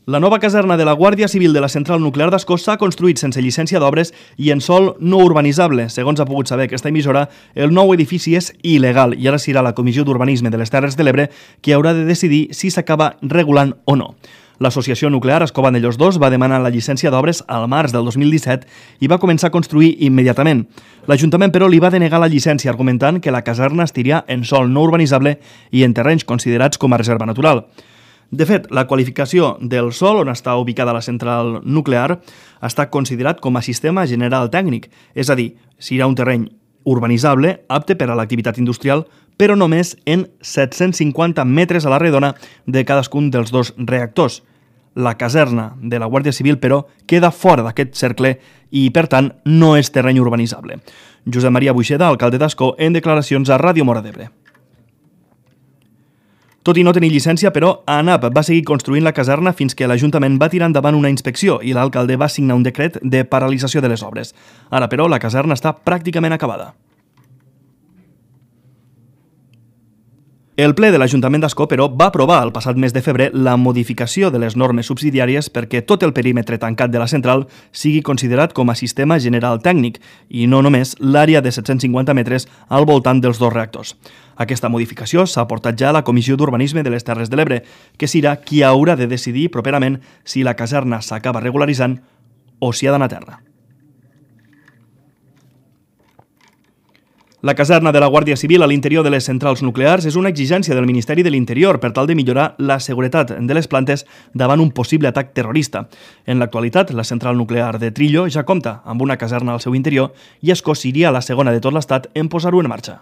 La nova caserna de la Guàrdia Civil de la Central Nuclear d'Ascó s'ha construït sense llicència d'obres i en sòl no urbanitzable. Segons ha pogut saber aquesta emissora, el nou edifici és il·legal i ara serà la Comissió d'Urbanisme de les Terres de l'Ebre qui haurà de decidir si s'acaba regulant o no. L'Associació Nuclear Ascó Vandellòs 2 va demanar la llicència d'obres al març del 2017 i va començar a construir immediatament. L'Ajuntament, però, li va denegar la llicència argumentant que la caserna estiria en sòl no urbanitzable i en terrenys considerats com a reserva natural. De fet, la qualificació del sòl on està ubicada la central nuclear està considerat com a sistema general tècnic, és a dir, serà un terreny urbanitzable apte per a l'activitat industrial, però només en 750 metres a la redona de cadascun dels dos reactors. La caserna de la Guàrdia Civil, però, queda fora d'aquest cercle i, per tant, no és terreny urbanitzable. Josep Maria Buixeda, alcalde d'Ascó, en declaracions a Ràdio Móra d'Ebre. Tot i no tenir llicència, però, ANAP va seguir construint la caserna fins que l'Ajuntament va tirar endavant una inspecció i l'alcalde va signar un decret de paralització de les obres. Ara, però, la caserna està pràcticament acabada. El ple de l'Ajuntament d'Ascó, però, va aprovar el passat mes de febrer la modificació de les normes subsidiàries perquè tot el perímetre tancat de la central sigui considerat com a sistema general tècnic i no només l'àrea de 750 metres al voltant dels dos reactors. Aquesta modificació s'ha portat ja a la Comissió d'Urbanisme de les Terres de l'Ebre, que serà qui haurà de decidir properament si la caserna s'acaba regularitzant o si ha d'anar a terra. La caserna de la Guàrdia Civil a l'interior de les centrals nuclears és una exigència del Ministeri de l'Interior per tal de millorar la seguretat de les plantes davant un possible atac terrorista. En l'actualitat, la central nuclear de Trillo ja compta amb una caserna al seu interior i Ascó seria la segona de tot l'estat en posar-ho en marxa.